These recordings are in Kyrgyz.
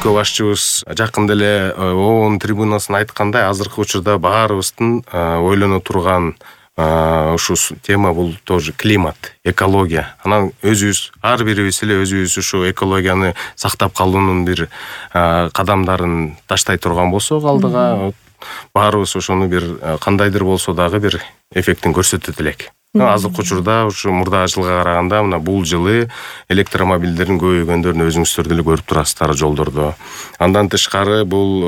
өлкө башчыбыз жакында эле ООН трибунасына айткандай, азыркы учурда баарыбыздын ойлоно турган ушу тема бул тоже климат, экология. Анан өзүбүз ар бирибиз эле өзүбүз ушу экологияны сактап калуунун бир кадамдарын таштай турган болсок алдыга, баарыбыз ошону бир кандайдыр болсо дагы бир эффектин көрсөтөт элек. Азыркы учурда ушу мурдагы жылга караганда мына бул жылы электромобилдердин көбөйгөндөрүн өзүңүздөр деле көрүп турасыздар жолдордо. Андан тышкары бул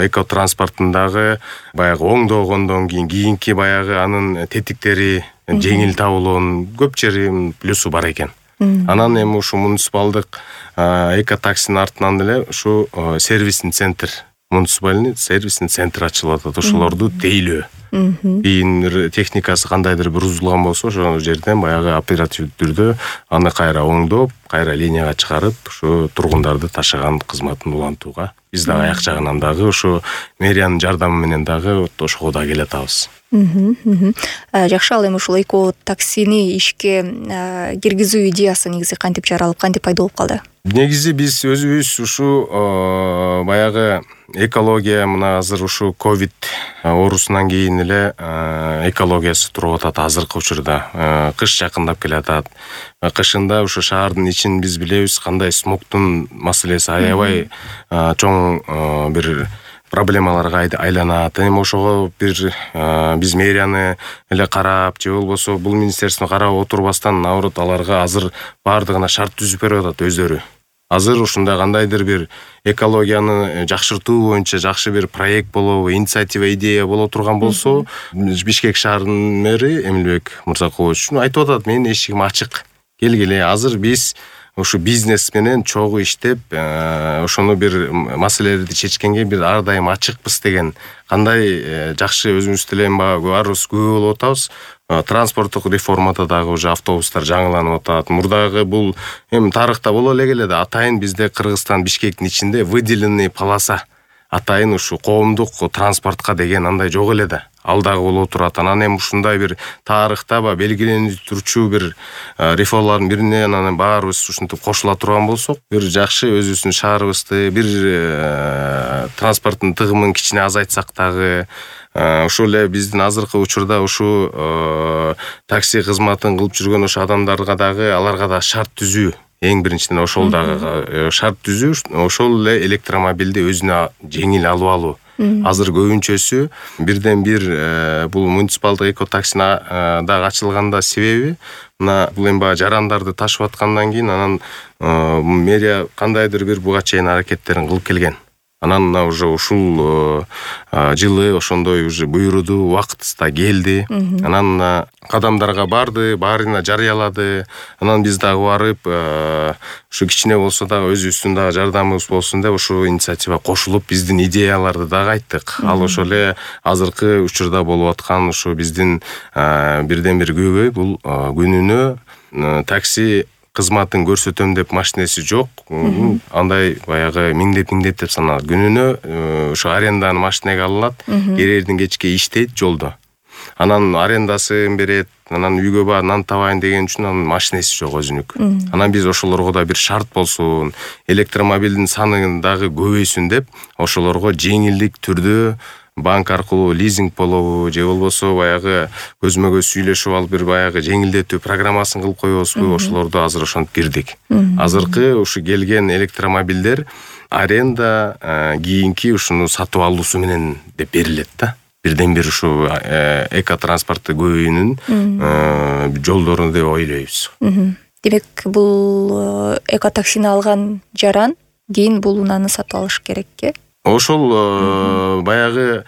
эко транспорттундагы баягы оңдогондон кийинки баягы анын тетиктери жеңил табылуунун көп жери плюсу бар экен. Анан эми ушу муниципалдык эко таксинин артынан эле ушу сервисный центр, муниципальный сервисный центр ачылып атат. Ошолорду тейлөө. Кийин техникасы кандайдыр бир бузулган болсо, ошол жерден баягы оперативдүү түрдө аны кайра оңдоп, кайра линияга чыгарып, ушу тургундарды ташыган кызматын улантууга биз дагы аяк жагынан дагы ушу мэриянын жардамы менен дагы ошого да келе атабыз. Жакшы, ал эми ушул эко таксини ишке киргизүү идеясы негизи кантип жаралып, кантип пайда болуп калды? Негизи биз өзүбүз ушу баягы экология мына азыр ушу ковид оорусунан кийин эле экологиясы туруп атат азыркы учурда. Кыш жакындап келатат. Кышында ушу шаардын ичин биз билебиз кандай смогтун маселеси аябай чоң бир проблемаларга айланат. Эми ошого бир биз мэрияны эле карап, же болбосо бул министерство карап отурбастан, наоборот аларга азыр баардыгына шарт түзүп берип атат өздөрү. Азыр ушундай кандайдыр бир экологияны жакшыртуу боюнча жакшы бир проект болобу, инициатива, идея боло турган болсо, Бишкек шаарынын мэри Эмилбек Мырзакулович айтып атат, менин эшигим ачык. Келгиле, азыр биз ушу бизнес менен чогуу иштеп, ошону бир маселелерди чечкенге бир ар дайым ачыкпыз деген. Кандай жакшы өзүбүз деле баарыбыз күбө болуп атабыз. Транспорттук реформада дагы уже автобустар жаңыланып атат. Мурдагы бул эми тарыхта боло эле келет. Атайын бизде Кыргызстан Бишкектин ичинде выделенный полоса, атайын ушу коомдук транспортко деген андай жок эле да. Ал дагы боло турат. Анан эми ушундай бир тарыхта белгиленип турчу бир реформалардын бирине анан баарыбыз ушинтип кошула турган болсок, бир жакшы өзүбүздүн шаарыбызды бир транспорттун тыгымын кичине азайтсак дагы, ошол эле биздин азыркы учурда ушу такси кызматын кылып жүргөн ошо адамдарга дагы, аларга да шарт түзүү. Эң биринчиден ошол дагы шарт түзүү, ошол эле электромобилди өзүнө жеңил алып алуу. Азыр көбүнчөсү бирден бир бул муниципалдык эко таксина дагы ачылганда себеби мына бул эми баягы жарандарды ташып аткандан кийин анан мэрия кандайдыр бир буга чейин аракеттерин кылып келген. Анан мына уже ушул жылы ошондой уже буйруду убактысында келди. Анан мына кадамдарга барды, баарына жарыялады. Анан биз дагы барып ушу кичине болсо дагы өзүбүздүн дагы жардамыбыз болсун деп ушу инициатива кошулуп биздин идеяларды дагы айттык. Ал ошол эле азыркы учурда болуп аткан ушу биздин бирден бир көйгөй бул күнүнө такси кызматын көрсөтөм деп машинеси жок. Андай баягы миңдеп деп саналат. Күнүнө ошо аренданы машинеге алынат, эрердин кечке иштейт жолдо. Анан арендасын берет, анан үйгө бар нан табайын деген үчүн анын машинеси жок өзүнүк. Анан биз ошолорго да бир шарт болсун, электромобилдин саны дагы көбөйсүн деп ошолорго жеңилдик түрдө банк аркылуу лизинг болобу, же болбосо баягы көзмө көз сүйлөшүп алып бир баягы жеңилдетүү программасын кылып коебузбу, ошолорду азыр ошентип кирдик. Азыркы ушу келген электромобилдер аренда кийинки ушуну сатып алуусу менен деп берилет да. Бирден бир ушу эко транспорту көбөйүүнүн жолдору деп ойлойбуз. Демек, бул эко таксини алган жаран кийин бул унааны сатып алыш керекке? Ошол баягы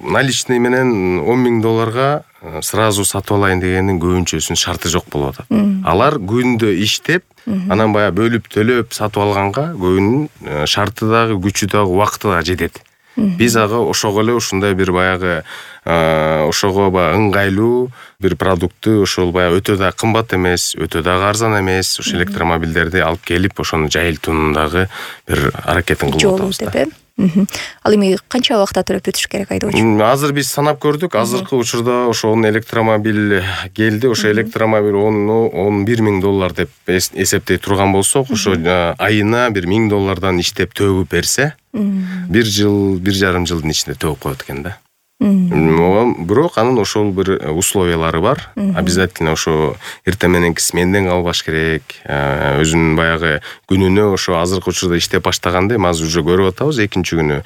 наличный менен $10,000 сразу сатып алайын дегенин көбүнчөсүнүн шарты жок болуп атат. Алар күндө иштеп, анан баягы бөлүп төлөп сатып алганга көбүнүн шарты дагы, күчү дагы, убакыты дагы жетет. Биз ага ошого эле ушундай бир баягы ошого ыңгайлуу бир продуктты ошол баягы өтө да кымбат эмес, өтө да арзан эмес, ошо электромобилдерди алып келип ошону жайылтуунун дагы бир аракетин кылып атабыз да. Ал эми канча убакытта төлөп өтүш керек айдоочу? Азыр биз санап көрдүк. Азыркы учурда ошо электромобиль келди. Ошо электромобиль $11,000 деп эсептей турган болсок, ошо айына $1,000 иштеп төгүп берсе, 1 жыл, 1,5 жылдын ичинде төгүп коет экен да. Бирок анын ошол бир условиялары бар. Обязательно ошо эртең мененки сменден калбаш керек. Өзүнүн баягы күнүнө ошо азыркы учурда иштеп баштаганда, эми азыр уже көрүп атабыз экинчи күнү.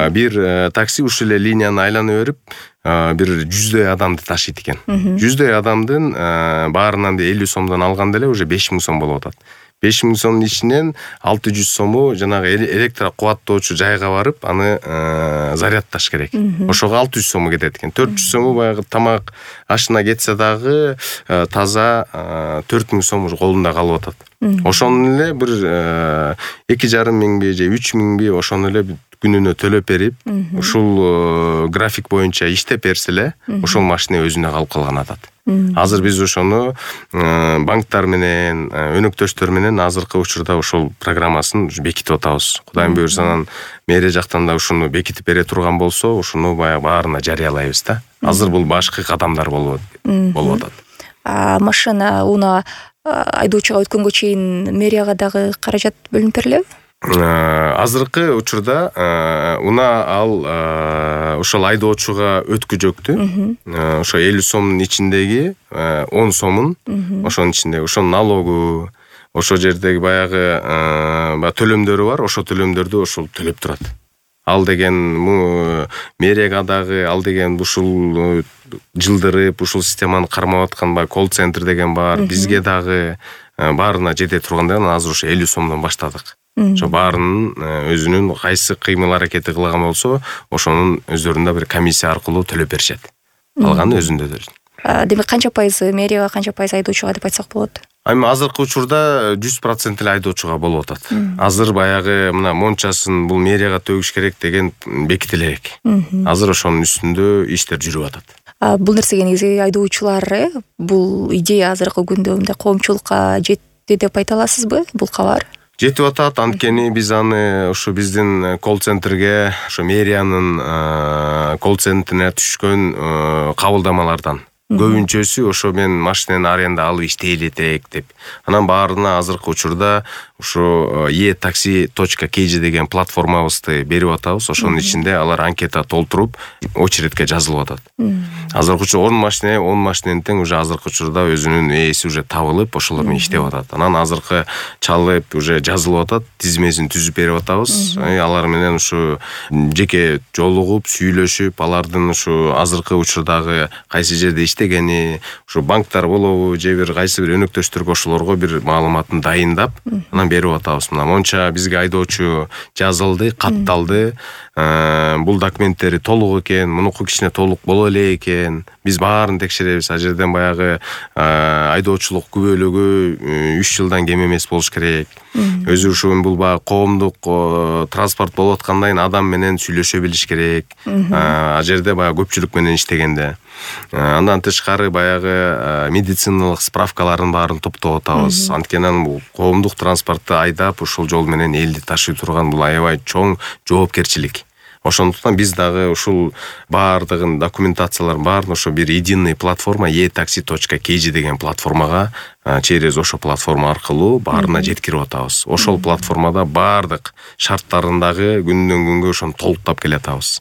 Бир такси ушул эле линияны айланып берип, бир 100дөй адамды ташыйт экен. 100дөй адамдын баарынан 50 сомдон алганда эле уже 5,000 сом болуп атат. 5,000 сомдун ичинен 600 сому жанагы электро кубаттоочу жайга барып, аны зарядташ керек. Ошого 600 сому кетет экен. 400 сому баягы тамак ашына кетсе дагы таза 4,000 сом уже колунда калып атат. Ошону эле бир 2,5 миңби же 3 миңби ошону эле күнүнө төлөп берип, ушул график боюнча иштеп берсе эле, ошол машина өзүнө калып калган атат. Азыр биз ошону банктар менен, өнөктөштөр менен азыркы учурда ошол программасын бекитип атабыз. Кудайым буйрса, анан мэрия жактан да ушуну бекитип бере турган болсо, ушуну баягы баарына жарыялайбыз да. Азыр бул башкы кадамдар болуп атат. Машина уна айдоочуга өткөнгө чейин мэрияга дагы каражат бөлүнүп берилеби? Азыркы учурда ал ошол айдоочуга өткүжөктү. Ошо 50 сомдун ичиндеги 10 сомун ошонун ичинде, ошо налогу, ошо жердеги баягы төлөмдөрү бар, ошо төлөмдөрдү ошол төлөп турат. Ал деген мэрияга дагы, ал деген ушул жылдырып, ушул системаны кармап аткан колл-центр деген бар, бизге дагы баарына жете турганда азыр ошо 50 сомдон баштадык. Ошо баарынын өзүнүн кайсы кыймыл аракети кылган болсо, ошонун өздөрүндө бир комиссия аркылуу төлөп беришет. Калганы өзүндө. Демек канча пайызы мэрияга, канча пайыз айдоочуга деп айтсак болот? Эми азыркы учурда 100% эле айдоочуга болуп атат. Азыр баягы мына мончасын бул мэрияга төгүш керек деген бекитиле элек. Азыр ошонун үстүндө иштер жүрүп атат. Бул нерсеге негизи айдоочулар бул идея азыркы күндө мындай коомчулукка жетти деп айта аласызбы? Бул кабар жетип атат. Анткени биз аны ушу биздин колл-центрге, ошо мэриянын колл-центрине түшкөн кабылдамалардан көбүнчөсү ошо мен машинени аренда алып иштей элек деп. Анан баарына азыркы учурда ошо e-taxi.kg деген платформабызды берип атабыз. Ошонун ичинде алар анкета толтуруп, очередке жазылып атат. Азыркы учурда 10 машинени тең уже азыркы учурда өзүнүн ээси уже табылып, ошолор менен иштеп атат. Анан азыркы чалып уже жазылып атат, тизмесин түзүп берип атабыз. Алар менен ушу жеке жолугуп, сүйлөшүп, алардын ушу азыркы учурдагы кайсы жерде иштегени, ушу банктар болобу, же бир кайсы бир өнөктөштөргө ошолорго бир маалыматын дайындап, анан берип атабыз. Мына монча бизге айдоочу жазылды, катталды. Бул документтери толук экен, мунуку кичине толук боло эле экен. Биз баарын текшеребиз. А жерден баягы айдоочулук күбөлүгү 3 жылдан кем эмес болуш керек. Өзү ушу бул баягы коомдук транспорт болуп аткандан кийин адам менен сүйлөшө билиш керек. А жерде баягы көпчүлүк менен иштегенде. Андан тышкары баягы медициналык справкаларын баарын топтоп атабыз. Анткени бул коомдук транспортто айдап ушул жол менен элди ташый турган бул аябай чоң жоопкерчилик. Ошондуктан биз дагы ушул баардыгын документацияларын баарын ошо бир единый платформа e-taxi.kg деген платформага через ошо платформа аркылуу баарына жеткирип атабыз. Ошол платформада баардык шарттарындагы күндөн күнгө ошону толуктап келатабыз.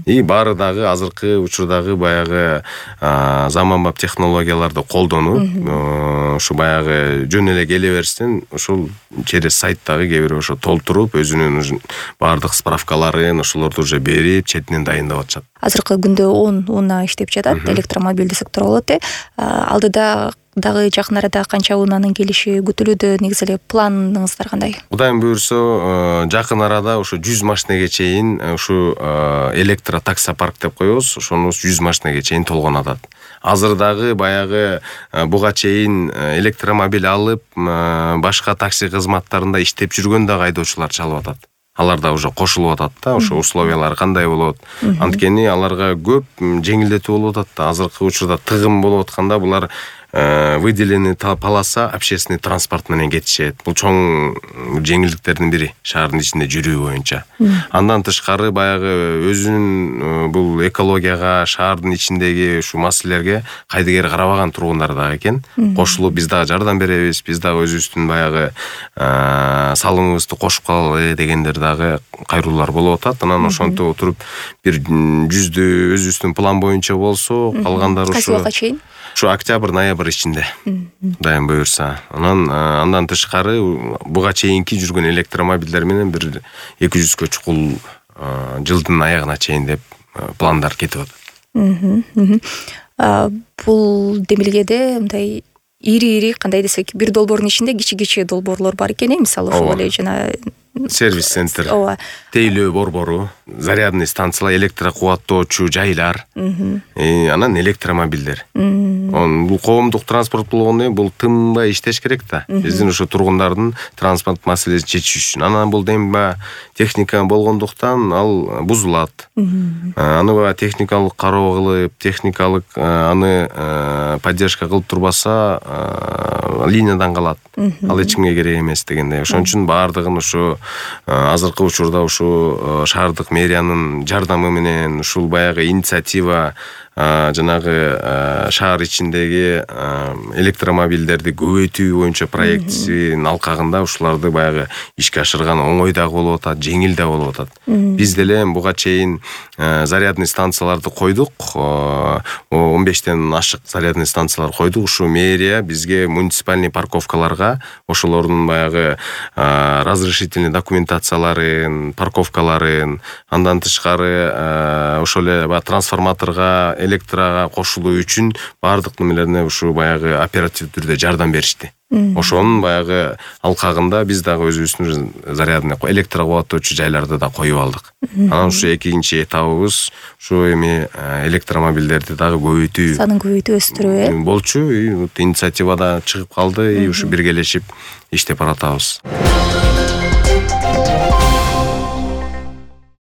И баары дагы азыркы учурдагы баягы заманбап технологияларды колдонуп, ушу баягы жөн эле келе берсин, ушул через сайттагы кээ бир ошо толтуруп, өзүнүн баардык справкаларын ошолорду уже берип, четинен дайындап атышат. Азыркы күндө 10 унаа иштеп жатат, электромобиль десек туура болот. Алдыда дагы жакын арада канча унаанын келиши күтүлүүдө, негизи эле планыңыздар кандай? Кудайым буйрса, жакын арада ошо 100 машинеге чейин ушу электро таксопарк деп коебуз, ошону 100 машинеге чейин толгон атат. Азыр дагы баягы буга чейин электромобиль алып, башка такси кызматтарында иштеп жүргөн дагы айдоочулар чалып атат. Алар да уже кошулуп атат да, ошо условиялары кандай болот. Анткени аларга көп жеңилдетүү болуп атат да. Азыркы учурда тыгым болуп атканда булар выделенный полоса общественный транспорт менен кетишет. Бул чоң жеңилдиктердин бири шаардын ичинде жүрүү боюнча. Андан тышкары баягы өзүнүн бул экологияга, шаардын ичиндеги ушу маселелерге кайдыгер карабаган тургундар дагы экен. Кошулуп биз дагы жардам беребиз, биз дагы өзүбүздүн баягы салымыбызды кошуп калалы дегендер дагы кайруулар болуп атат. Анан ошентип отуруп бир 100 өзүбүздүн план боюнча болсо, калгандары кайсы убакытка чейин? Ушу октябрь-ноябрь ичинде. Дайым буюрса. Андан тышкары буга чейинки жүргөн электромобилдер менен бир 200кө чукул жылдын аягына чейин деп пландар кетип атат. Бул демилгеде мындай ири кандай десек, бир долбоордун ичинде кичи долбоорлор бар экен, мисалы ошол эле жана сервис центр, тейлөө борбору, зарядный станциялар, электро кубаттоочу жайлар, анан электромобилдер. Бул коомдук транспорт болгондон кийин бул тынбай иштеш керек да. Биздин ошо тургундардын транспорт маселесин чечиш үчүн. Анан бул демба техника болгондуктан ал бузулат. Аны техникалык кароо кылып, техникалык аны поддержка кылып турбаса, линиядан калат. Ал эч кимге керек эмес дегендей. Ошон үчүн баардыгын ушу азыркы учурда ушу шаардык мэриянын жардамы менен ушул баягы инициатива жанагы шаар ичиндеги электромобилдерди көбөйтүү боюнча проектисин алкагында ушуларды баягы ишке ашырган оңой дагы болуп атат, жеңил да болуп атат. Биз деле буга чейин зарядный станцияларды койдук. 15тен ашык зарядный станциялар койдук. Ушу мэрия бизге муниципальный парковкаларга ошолордун баягы разрешительный документацияларын, парковкаларын, андан тышкары ошол эле трансформаторго, электрага кошулуу үчүн баардык немелерине ушу баягы оперативдүү түрдө жардам беришти. Ошонун баягы алкагында биз дагы өзүбүздүн зарядный электро кубаттоочу жайларды да коюп алдык. Анан ушу экинчи этабыбыз ушу эми электромобилдерди дагы көбөйтүү, санын көбөйтүү, өстүрүү болчу. Инициатива да чыгып калды, ушу биргелешип иштеп баратабыз.